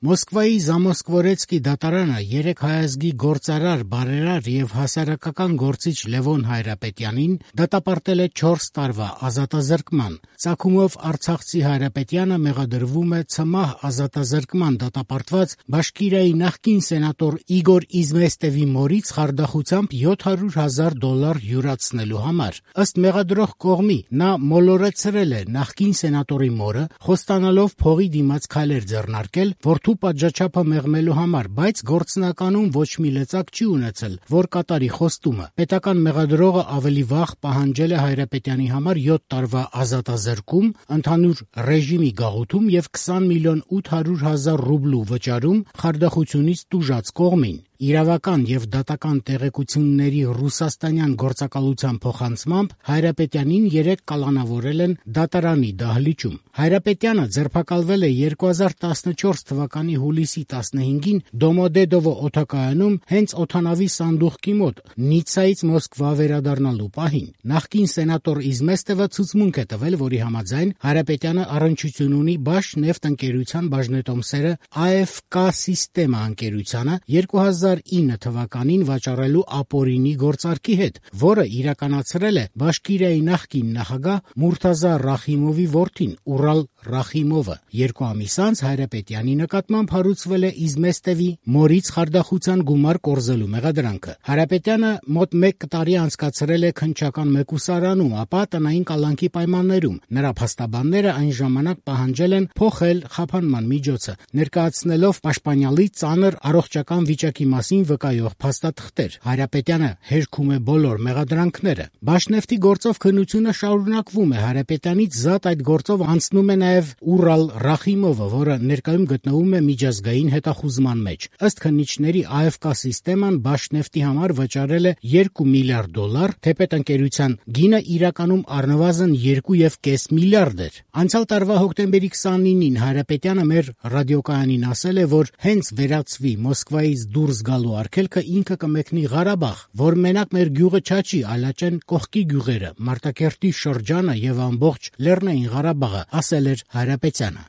Մոսկվայի Զամոսկվորեցկի դատարանը 3 հայազգի գործարար, բարերար եւ հասարակական գործիչ Լևոն Հայրապետյանին դատապարտել է 4 տարվա ազատազրկման։ Ծագումով արցախցի Հայրապետյանը մեղադրվում է ցմահ ազատազրկման դատապարտված Բաշկիրիայի նախկին սենատոր Իգոր Իզմեստևի մորից խարդախությամբ $700,000 յուրացնելու համար։ Ըստ մեղադրող կողմի նա մոլորեցրել է նախկին սենատորի մորը, խոստանալով փողի դիմաց քայլեր ձեռնարկել, որդու պատժաչափը մեղմելու համար, բայց գործնականում ոչ մի լծակ չի ունեցել, որ կատարի խոստումը։ Պետական մեղադրողը ավելի վաղ պահանջել է Հայրապետյանի համար 7 տարվա ազատազրկում, ընդհանուր ռեժիմի գաղութում եւ 20,800,000 ռուբլու վճարում խարդախությունից տուժած կողմին։ Իրավական եւ դատական տեղեկությունների ռուսաստանյան գործակալության փոխանցմամբ Հայրապետյանին 3 կալանավորել են դատարանի դահլիճում։ Հայրապետյանը ձերբակալվել է 2014 թվականի հուլիսի 15-ին Դոմոդեդովո օդակայանում հենց օդանավի սանդուղքի մոտ Նիցայից Մոսկվա վերադառնալու պահին։ Նախկին սենատոր Իզմեստևը ցուցմունք է տվել, որի համաձայն Հայրապետյանը առնչություն ունի Բաշնեֆտ ընկերության բաժնետոմսերը AFK Սիստեմա ընկերությանը 2009 թվականին վաճառելու ապօրինի գործարքի հետ, որը իրականացրել է Բաշկիրիայի նախկին նախագահ Մուրթազա Ռախիմովի որդին Ուրալ Ռախիմովը։ 2 ամիս անց Հայրապետյանի նկատմամբ հարուցվել է Իզմեստևի մորից խարդախության գումար կորզելու մեղադրանքը։ Հայրապետյանը մոտ 1 տարի անցկացրել է քննչական մեկուսարանում, ապա տնային կալանքի պայմաններում։ Նրա փաստաբանները այն ժամանակ պահանջել են փոխել խափանման միջոցը, ներկայացնելով պաշտպանյալի ծանր առողջական վիճակի մասին վկայող փաստաթղթեր։ Հայրապետյանը հերքում է բոլոր մեղադրանքները։ Բաշնեֆտի գործով քննությունը շարունակվում է։ Հայրապետյանից զատ այդ գործով անցնում է նաև Ուրալ Ռախիմովը, որը ներկայում գտնվում է միջազգային հետախուզման մեջ։ Ըստ քննիչների AFK Սիստեման Բաշնեֆտի համար վճարել է $2 միլիարդ, թեպետ ընկերության գինը իրականում առնվազն 2,5 միլիարդ էր։ Անցյալ տարվա հոկտեմբերի 29-ին Հայրապետյանը մեր ռադիոկայանին ասել է, որ հենց վերացվի Մոսկվայից դուրս գալու արգելքը ինքը կմեկնի Ղարաբաղ, որ մենակ մեր գյուղը չաճի, այլաճեն կողքի գյուղերը, Մարտակերտի շրջանը եւ ամբողջ Լեռնային Ղարաբաղը, ասել էր Հայրապետյանը։